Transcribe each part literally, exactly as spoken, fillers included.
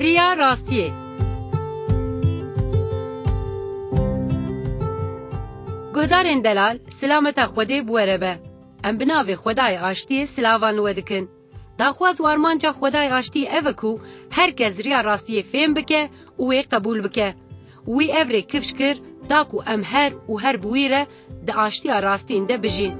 Riya rastiyê. Guhdarên delal, silameta Xwedê bi we re be. Em bi navê Xwedayê Aştiyê silavan li we dikin. Daxwaz û armanca Xwedayê Aştiyê ev e ku her kes riya rastiyê fêm bike û wê qebûl bike. Wî ev rê kifş kir, da ku em her û her bi wî re di aştiya rastîn de bijîn.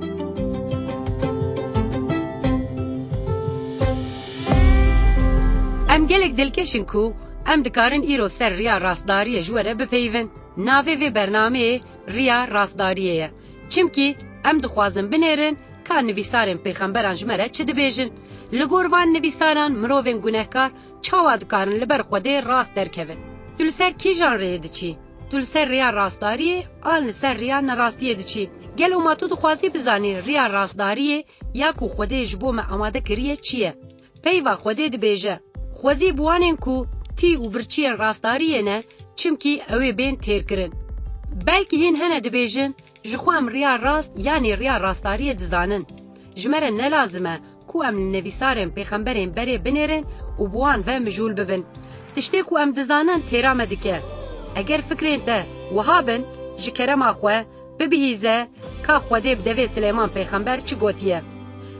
Em gelek dilkeş in ku em dikarin îro ser riya rastdariyê ji we re bipeyivin. Navê vê bernameyê Riya Rastdariyê ye. Çimkî em dixwazin binêrin ka nivîsarên pêxemberan ji me re çi dibêjin. Li gor van nivîsaran mirovên gunehkar çawa dikarin li ber Xwedê rast derkevin? Tu li ser kîjan rêyê diçî? Tu li ser rêya rastdariyê an li ser rêya nerastiyê diçî? Gelo ma tu dixwazî bizanî rêya rastdariyê ya ku Xwedê ji bo me amade kiriye çi ye? Peyva Xwedê dibêje, Xwezî bi wanên ku tî û birçiyên rastdariyê ne, çimkî ew ê bên têrkirin. Belkî hîn hene dibêjin, Ji xwe em riya rast yanî riya rastdariyê dizanin. Ji me re ne lazim e ku em li nivîsarên pêxemberên berê binêrin û bi wan ve mijûl bibin. Tiştê ku em dizanin têra me dike. Eger fikrên te wiha bin, ji kerema xwe bibihîze ka Xwedê bi devê Silêman pêxember çi gotiye.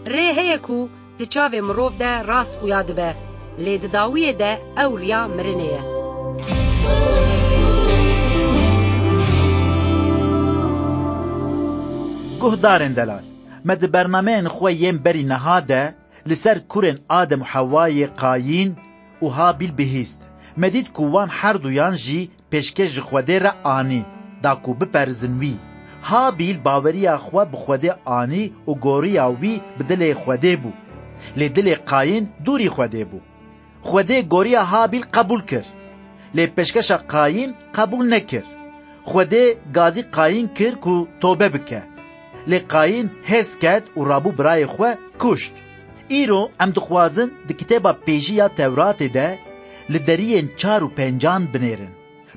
Rê heye ku di çavê mirov de rast xuya dibe, lê di dawiyê de ew riya mirinê ye. Guhdarên delal, me di bernameyên xwe yên berî niha de li ser kurên Adem û Hewayê Qayîn û Habîl bihîst. Me dît ku wan herduyan jî pêşkêş ji Xwedê re anî, da ku biperizin wî. Habîl baweriya xwe bi Xwedê anî û goriya wî bi dilê Xwedê bû. Lê dilê Qayîn dûrî Xwedê bû. Xwedê goriya Habîl qebûl kir. Lê pêşkeşa Qayîn qebûl nekir. Xwedê gazî Qayîn kir ku tobe bike. Lê Qayîn hêrs ket û rabû birayê xwe kuşt. Îro em dixwazin di kitêba pêjî ya Tewratê de li deriyên çar û pêncan binêrin.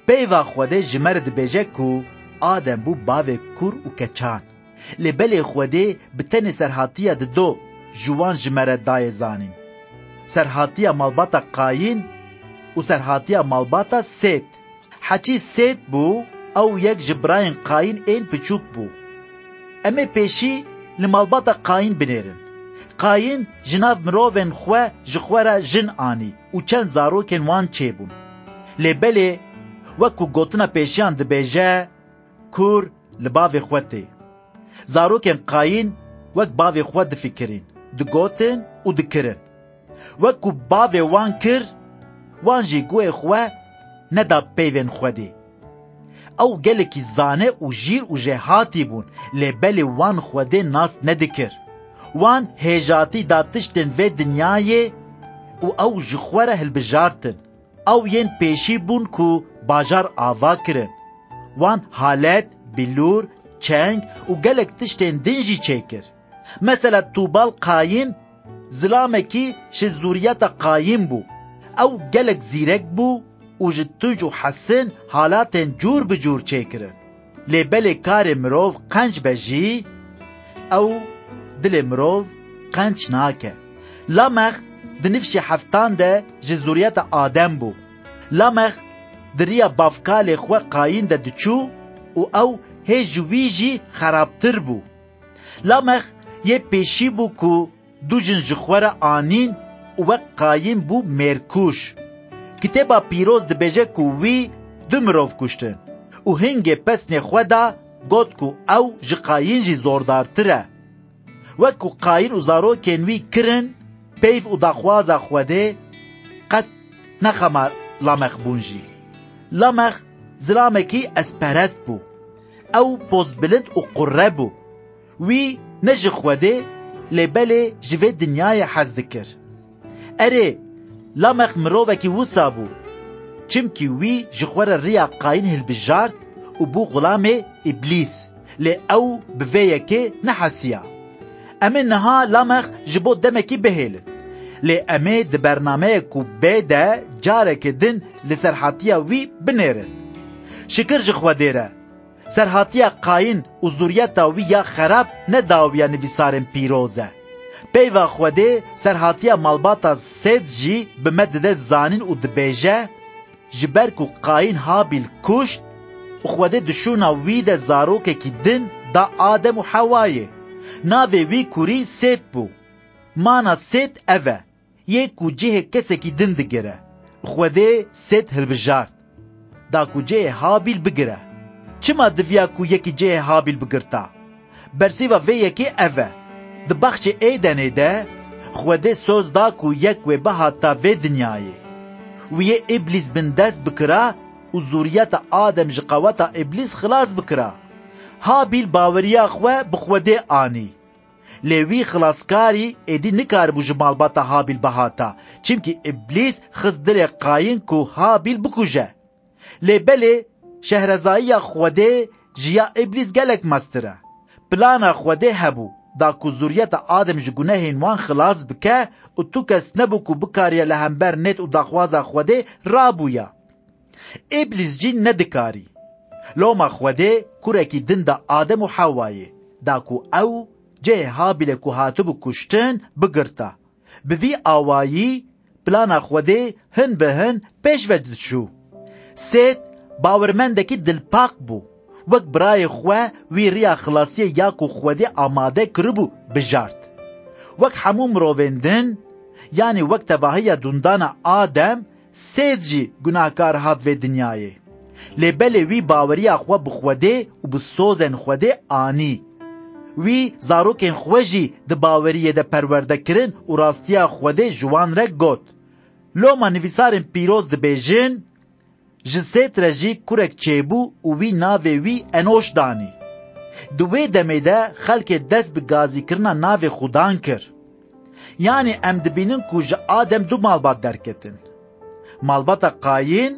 Peyva Xwedê ji me re dibêje ku Adem bû bavê kur û keçan. Lê belê Xwedê bi tenê serhatiya dido ji wan ji me re dayê zanîn. Serhatiya malbata Qayîn û serhatiya malbata Sêt. Heçî Sêt bû, ew yek ji birayên Qayîn ên piçûk bû. Em ê pêşî li malbata Qayîn binêrin. Qayîn ji nav mirovên xwe ji xwe re jin anî û çend zarokên wan çêbûn. Lê belê, wek ku gotina pêşiyan dibêje, kur li bavê xwe tê. Zarokên Qayîn wek bavê xwe difikirîn, digotin û dikirin. Wek ku bavê wan kir, wan jî guhê xwe neda peyvên Xwedê. Ew gelekî zane û jîr û jêhatî bûn, lê belê wan Xwedê nas nedikir. Wan hêjatî da tiştên vê dinyayê û ew ji xwe re hilbijartin. Ew yên pêşî bûn ku bajar ava kirin. Wan halet, bilûr, çeng û gelek tiştên din jî çêkir. Mesela Tûbal Qayîn zilamekî ji zûriyeta Qayîn bû. Ew gelek zîrek bû û ji tunc û hesin halatên cûr bi cûr çêkirin. Lê belê karê mirov qenc be jî, ew dilê mirov qenc nake. Lamex di nifşê heftan de ji zûriyeta Adem bû. Lamex di riya bavkalê xwe Qayîn de diçû û ew hê ji wî jî xerabtir bû. Lamex yê pêşî bû ku du jin ji xwe re anîn û wek Qayîn bû mêrkuj. Kitêba Pîroz dibêje ku wî du mirov kuştin û hingê pesnê xwe da, got ku ew ji Qayîn jî zordartir e. Wek ku Qayîn û zarokên wî kirin, peyv û daxwaza Xwedê qet nexema Lamex bûn jî. Lamex zilamekî ezperest bû. Ew pozbilind û qurre bû. Wî ne ji Xwedê, lê belê ji vê dinyayê hez dikir. Erê, Lamex mirovekî wisa bû, çimkî wî ji xwe re riya Qayîn hilbijart û bû xulamê Îblîs, lê ew bi vê yekê nehesiya. Em ê niha Lamex ji bo demekî bihêlin, lê em ê di bernameyek ku bê de careke din li serhatiya wî binêrin. Şikir ji Xwedê re, serhatiya Qayîn û zûriyeta wî ya xerab ne dawiya nivîsarên pîroz e. Peyva Xwedê serhatiya malbata Sêt jî bi me dide zanîn û dibêje, ji ber ku Qayîn Habîl kuşt û Xwedê di şûna wî de zarokekî din da Adem û Hewayê. Navê wî kurî Sêt bû. Mana Sêt ev e, yê ku cihê kesekî din digire. Xwedê Sêt hilbijart, da ku cihê Habîl bigire. Çima diviya ku yekî cihê Habîl bigirta? Bersîva vê yekê ev e. Di baxçê Êdenê de Xwedê soz da ku yek wê bihata vê dinyayê. Wî yê Îblîs bindest bikira û zûriyeta Adem ji qeweta Îblîs xilas bikira. Habîl baweriya xwe bi Xwedê anî. Lê wî xilaskarî êdî nikaribû ji malbata Habîl bihata, çimkî Îblîs xist dilê Qayîn ku Habîl bikuje. Lê belê, şehrezayiya Xwedê ji ya Îblîs gelek mestir e. Plana Xwedê hebû, da ku zûriyeta Adem ji gunehên wan xilas bike û tu kes nebû ku bikariya li hember nêt û daxwaza Xwedê rabûya. Îblîs jî nedikarî. Loma Xwedê kurekî din da Adem û Hewayê, da ku ew cihê Habîlê ku hatibû kuştin bigirta. Bi vî awayî plana Xwedê hin bi hin pêş ve diçû. Sêt bawermendekî dilpak bû. Wek birayê xwe wî riya xilasiyê ya ku Xwedê amade kiribû bijart. Wek hemû mirovên din, yanî wek tevahiya dundana Adem, Sêt jî gunahkar hat vê dinyayê. Lê belê wî baweriya xwe bi Xwedê û bi sozên Xwedê anî. Wî zarokên xwe jî di baweriyê de perwerde kirin û rastiya Xwedê ji wan re got. Loma nivîsarên pîroz dibêjin, ji Sêt re jî kurek çêbû û wî navê wî Enoş danî. Di wê demê de xelkê dest bi gazîkirina navê Xudan kir. Yanî em dibînin ku ji Adem du malbat derketin. Malbata Qayîn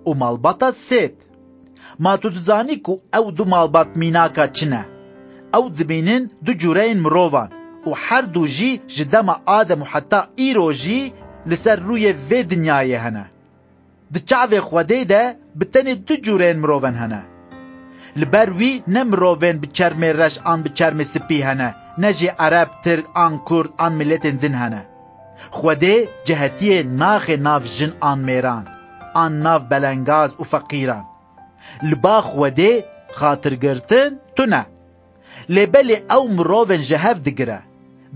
û malbata Sêt. Ma tu dizanî ku ew du malbat mînaka çi ne? Ew dibînin du cûreyên mirovan û her du jî ji dema Adem û heta îro jî li ser rûyê vê dinyayê hene. Di çavê Xwedê de bi tenê du cûreyên mirovan hene. Li ber wî ne mirovên bi çermê reş an bi çermê spî hene, ne jî Ereb, Tirk an Kurd an miletên din hene. Xwedê cehetiyê naxê nav jin an mêran, an nav belengaz û feqîran. Li ba Xwedê xatirgirtin tune. Lê belê ew mirovên ji hev digire,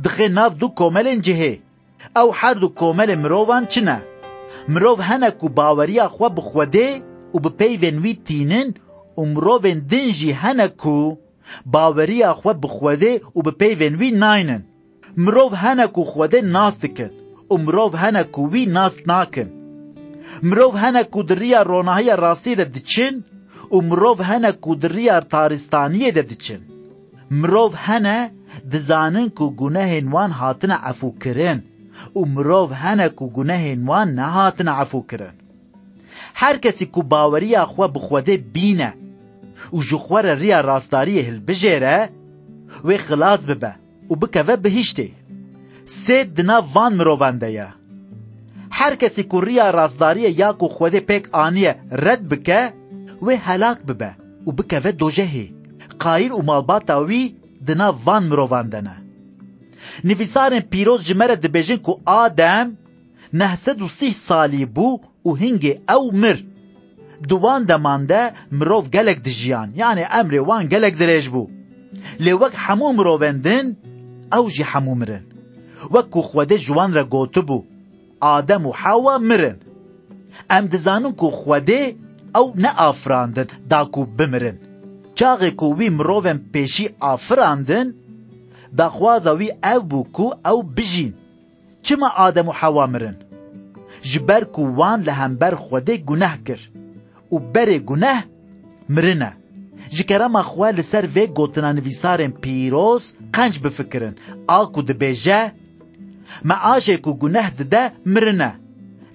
dixê nav du komelên cihê. Ew her du komelê mirovan çi ne? Mirov hene ku baweriya xwe bi Xwedê û bi peyvên wî tînin û mirovên din jî hene ku baweriya xwe bi Xwedê û bi peyvên wî naynin. Mirov hene ku Xwedê nas dikin û mirov hene ku wî nas nakin. Mirov hene ku di riya ronahiya rastiyê de diçin û mirov hene ku di riya taristaniyê de diçin. Mirov hene dizanin ku gunehên wan hatine efûkirin û mirov hene ku gunehên wan nehatine efûkirin. Her kesî ku baweriya xwe bi Xwedê bîne û ji xwe re riya rastdariyê hilbijêre, wê xilas bibe û bikeve bihiştê. Sêt di nav van mirovan de ye. Her kesî ku riya rastdariyê ya ku Xwedê pêk aniye red bike, wê helak bibe û bikeve dojehê. Qayîn û malbata wî di nav van mirovan de ne. Nivîsarên pîroz ji me re dibêjin ku Adem neh sed û sîh salî bû û hingê ew mir. Di wan deman de mirov gelek dijiyan, yanê emrê wan gelek dirêj bû. Lê wek hemû mirovên din, ew jî hemû mirin. Wek ku Xwedê ji wan re gotibû, Adem û Hewa mirin. Em dizanin ku Xwedê ew neafirandin da ku bimirin. Çaxê ku wî mirovên pêşî afirandin, daxwaza wî ev bû ku ew bijîn. Çima Adem û Hewa mirin? Ji ber ku wan li hember Xwedê guneh kir û berê guneh mirin e. Ji kerema xwe li ser vê gotina nivîsarên pîroz qenc bifikirin, a ku dibêje, Meaşê ku guneh dide, mirin e.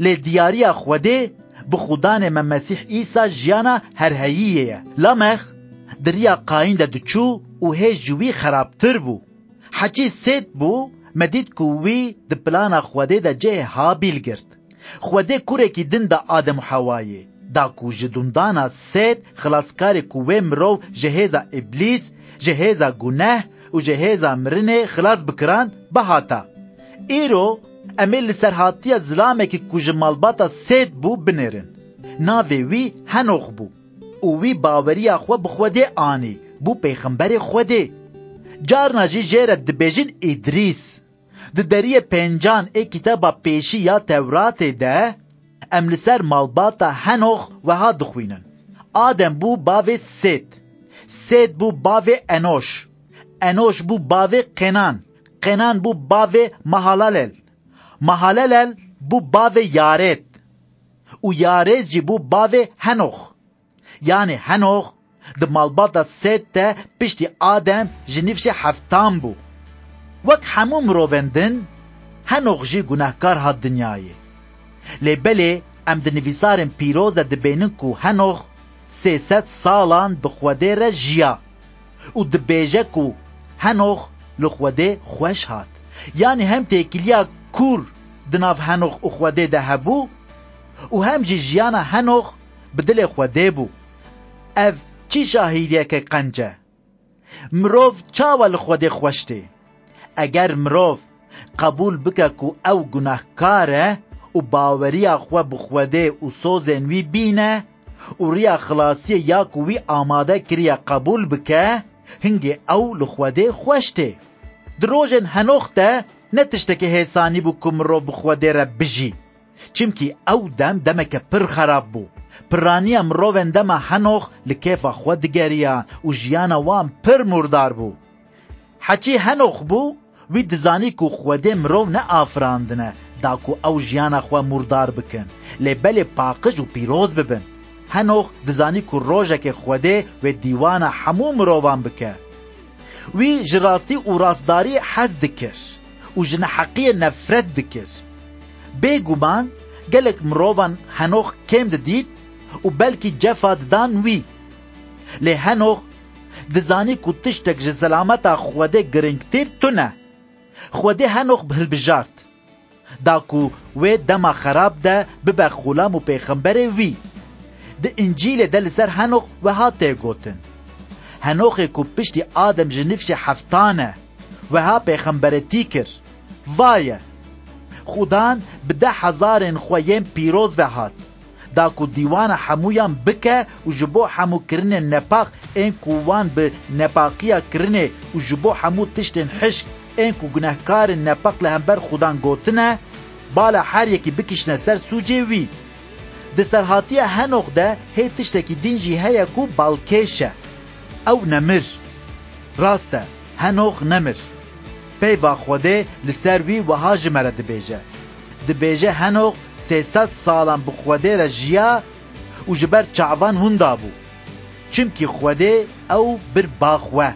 Lê diyariya Xwedê bi Xudanê me Mesîh Îsa jiyana herheyiyê ye. Lamex di riya Qayîn de diçû û hê ji wî xerabtir bû. Heçî Sêt bû, me dît ku wî di plana Xwedê de cihê Habîl girt. Xwedê kurekî din da Adem û Hewayê, da ku ji dundana Sêt xilaskarê ku wê mirov ji hêza Îblîs, ji hêza guneh û ji hêza mirinê xilas bikiran, bihata. Îro em ê li serhatiya zilamekî ku ji malbata Sêt bû binêrin. Navê wî Henox bû û wî baweriya xwe bi Xwedê anî, bû pêxemberê Xwedê. Carna jî jê re dibêjin Îdrîs. Di deriyê pêncan ê kitaba pêşî ya Tewratê de, em li ser malbata Henox weha dixwînin: Adem bû bavê Sêt. Sêt bû bavê Enoş. Enoş bû bavê Qenan. Qenan bû bavê Mahalalel. Mahalalel bû bavê Yared. Û Yared jî bû bavê Henox. Yanî Henox di malbata Sêt de piştî Adem ji nifşê heftan bû. Wek hemû mirovên din, Henox jî gunehkar hat dinyayê. Lê belê em di nivîsarên pîroz de dibênin ku Henox sê sed salan bi Xwedê re jiya û dibêje ku Henox li Xwedê xweş hat. Yanî hem têkiliya kûr di nav Henox û Xwedê de hebû û hem jî jiyana Henox bi dilê Xwedê bû. Ev çi şahidiyeke qenc e! Mirov çawa li Xwedê xweş tê? Eger mirov qebûl bike ku ew gunehkar e û baweriya xwe bi Xwedê û sozên wî bîne û riya xilasiyê ya ku wî amade kiriye qebûl bike, hingê ew li Xwedê xweş tê. Di rojên Henox de ne tiştekî hêsanî bû ku mirov bi Xwedê re bijî. Çimkî ew dem demeke pir xerab bû. Piraniya mirovên dema Henox li kêfa xwe digeriyan û jiyana wan pir mûrdar bû. Heçî Henox bû, wî dizanî ku Xwedê mirov neafirandine da ku ew jiyana xwe mûrdar bikin, lê belê paqij û pîroz bibin. Henox dizanî ku rojekê Xwedê wê dîwana hemû mirovan bike. Wî ji rastî û rastdariyê hez dikir û ji neheqiyê nefret dikir. Bêguman gelek mirovan Henox kêm didît û belkî cefa didan wî. Lê Henox dizanî ku tiştek ji selameta Xwedê giringtir tune. Xwedê Henox hilbijart, da ku wê dema xerab de bibe xulam û pêxemberê wî. Di Încîlê de li ser Henox weha tê gotin: Henoxê ku piştî Adem ji nifşê heftan e, weha pêxemberetî kir: Vaye! Xudan bi deh hezarên xwe yên pîroz ve hat, da ku dîwana hemûyan bike û ji bo hemû kirinên nepak ên ku wan bi nepaqiya kirinê û ji bo hemû tiştên hişk ên ku gunehkarên nepak li hember Xudan gotine, bala her yekî bikişne ser sûcê wî. Di serhatiya Henox de hê tiştekî din jî heye ku balkêş e. Ew nemir. Rast e, Henox nemir. Peyva Xwedê li ser wî wiha ji me re dibêje. Dibêje Henox sê sed salan bi Xwedê re jiya û ji ber çavan winda bû. Çimkî Xwedê ew bir ba xwe.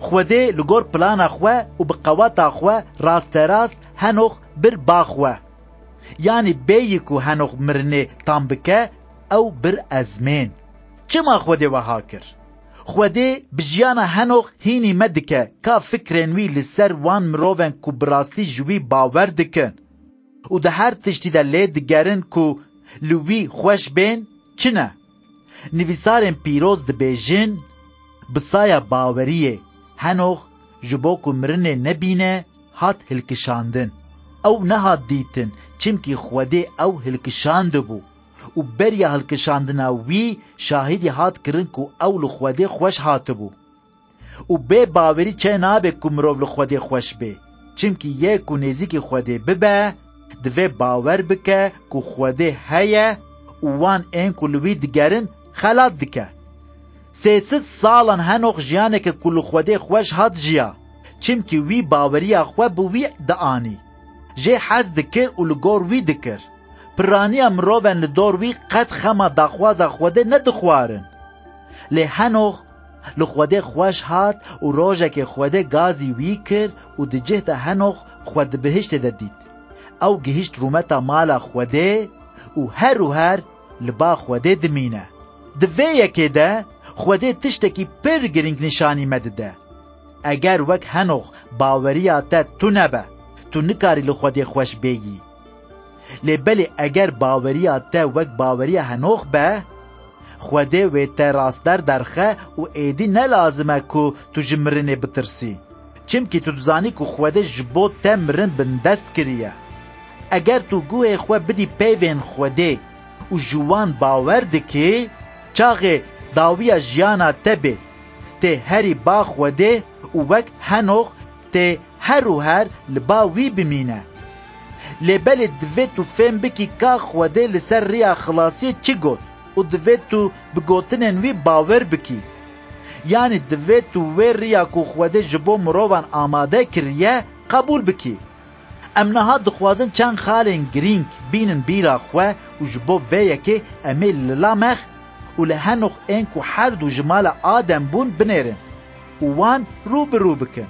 Xwedê li gor plana xwe û bi qeweta xwe rasterast Henox bir ba xwe. Yanî bêyî ku Henox mirinê tam bike, ew bir ezmên. Çima Xwedê wiha kir? Xwedê bi jiyana Henox hînî me dike ka fikrên wî li ser wan mirovên ku bi rastî ji wî bawer dikin û di her tiştî de lê digerin ku li wî xweş bên, çi ne? Nivîsarên pîroz dibêjin: Bi saya baweriyê, Henox ji bo ku mirinê nebîne, hat hilkişandin. Ew nehat dîtin, çimkî Xwedê ew hilkişandibû û beriya hilkişandina wî şahidî hat kirin ku ew li Xwedê xweş hatibû. Û bê bawerî çê nabe ku mirov li Xwedê xweş bê, çimkî yê ku nêzîkî Xwedê bibe, divê bawer bike ku Xwedê heye û wan ên ku li wî digerin xelat dike. Sê sed salan Henox jiyaneke ku li Xwedê xweş hat jiya, çimkî wî baweriya xwe bi wî dianî. Jê hez dikir û li gor wî dikir. Piraniya mirovên li dor wî qet xema daxwaza Xwedê nedixwarin. Lê Henox li Xwedê xweş hat û rojekê Xwedê gazî wî kir û di cih de Henox xwe di bihiştê de dît. Ew gihişt rûmeta mala Xwedê û her û her li ba Xwedê dimîne. Di vê yekê de Xwedê tiştekî pir girîng nîşanî me dide. Eger wek Henox baweriya te tune be, tu nikarî li Xwedê xweş bêyî. Lê belê eger baweriya te wek baweriya Henox be, Xwedê wê te rastber derxe û êdî ne lazim e ku tu ji mirinê bitirsî. Çimkî tu dizanî ku Xwedê ji bo te mirin bindest kiriye. Eger tu guhê xwe bidî peyvên Xwedê û ji wan bawer dikî, çaxê dawiya jiyana te bê, tê herî ba Xwedê û wek Henox tê her û her li ba wî bimîne. Lê belê divê tu fêm bikî ka Xwedê li ser riya xilasiyê çi got û divê tu bi gotinên wî bawer bikî. Yanî divê tu wê riya ku Xwedê ji bo mirovan amade kiriye, qebûl bikî. Em niha dixwazin çend xalên girîng bînin bîra xwe û ji bo vê yekê em ê li Lamex û li Henox ên ku her du ji mala Adem bûn binêrin û wan rû bi rû bikin.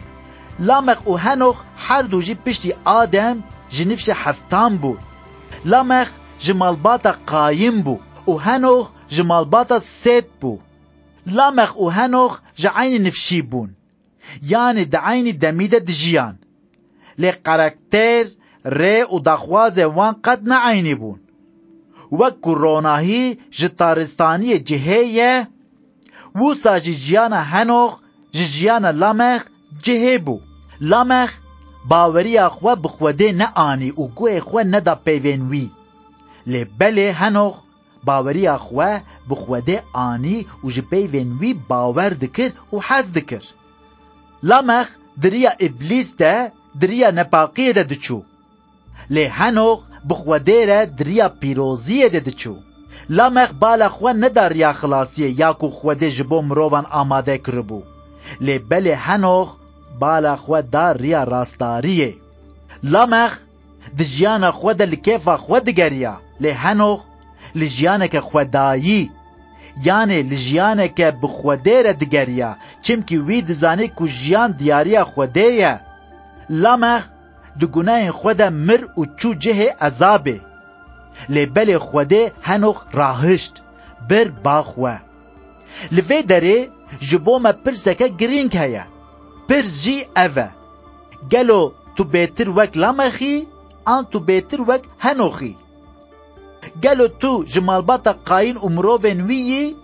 Lamex û Henox her du jî piştî Adem ji nifşê heftan bûn. Lamex ji malbata Qayîn bû û Henox ji malbata Sêt bû. Lamex û Henox ji eynî nifşî bûn, yanî di eynî demî de dijiyan. Lê karakter, rê û daxwazê wan qet ne eynî bûn. Wek ku ronahî ji taristaniyê cihê ye, wisa jî jiyana Henox ji jiyana Lamex cihê bû. Lamex baweriya xwe bi Xwedê neanî û guhê xwe neda peyvên wî. Lê belê Henox baweriya xwe bi Xwedê anî û ji peyvên wî bawer dikir û hez dikir. Lamex di riya Îblîs de, di riya nepaqiyê de diçû. Lê Henox bi Xwedê re di riya pîroziyê de diçû. Lamex bala xwe neda riya xilasiyê ya ku Xwedê ji bo mirovan amade kiribû. Lê belê Henox bala xwe da riya rastdariyê. Lamex di jiyana xwe de li kêfa xwe digeriya, lê Henox li jiyaneke xwedayî, yanê li jiyaneke bi Xwedê re digeriya, çimkî wî dizanî ku jiyan diyariya Xwedê ye. Lamex di gunehên xwe de mir û çû cihê ezabê. Lê belê Xwedê Henox rahişt, bir ba xwe. Li vê derê ji bo me pirseke girîng heye. Pirs jî ev e: Gelo tu bêtir wek Lamexî, an tu bêtir wek Henoxî? Gelo tu ji malbata Qayîn û mirovên wî yî,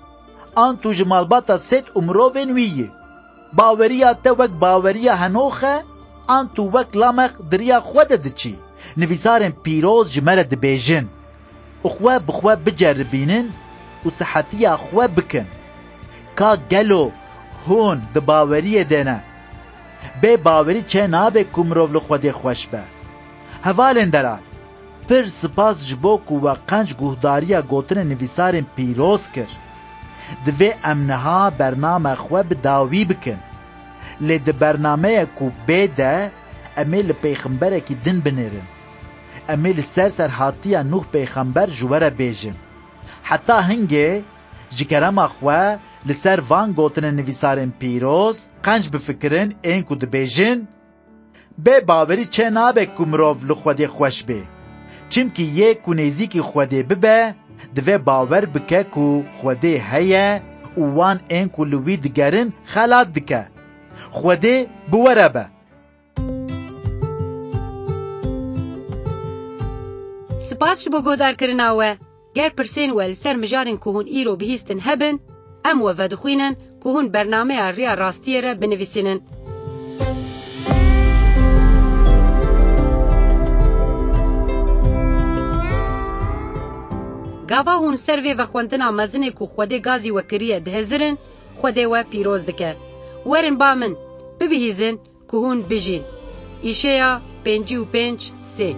an tu ji malbata Sêt û mirovên wî yî? Baweriya te wek baweriya Henox e, an tu wek Lamex di riya xwe de diçî? Nivîsarên pîroz ji me re dibêjin: Xwe bi xwe biceribînin û sihetiya xwe bikin. Ka gelo hûn di baweriyê de ne? Bê bawerî çê nabe ku mirov li Xwedê xweş be. Hevalên delal, pir spas ji bo ku we qenc guhdariya gotinên nivîsarên pîroz kir. Divê em niha bername xwe bi dawî bikin. Lê di bernameya ku bê de em ê li pêxemberekî din binêrin. Em ê li ser serhatiya Nûh pêxember ji we re bêjin. Heta hingê, ji kerema xwe, li ser van gotinên nivîsarên pîroz qenc bifikirin, ên ku dibêjin: Bê bawerî çê nabe ku mirov li Xwedê xweş bê. Çimkî yê ku nêzîkî Xwedê bibe, divê bawer bike ku Xwedê heye û wan ên ku li wî digerin xelat dike. Xwedê bi we re be. Spas ji bo guhdarkirina we. Ger pirsên we li ser mijarên ku hûn îro bihîstin hebin, em we vedixwînin ku hûn bernameya Riya Rastiyê re binivîsînin. Gava hûn ser vê vexwendina mezinê ku Xwedê gazî we kiriye dihizirin, Xwedê we pîroz dike. Werin ba min, bibihîzin ku hûn bijîn. Îşeya pêncî û pênc sê.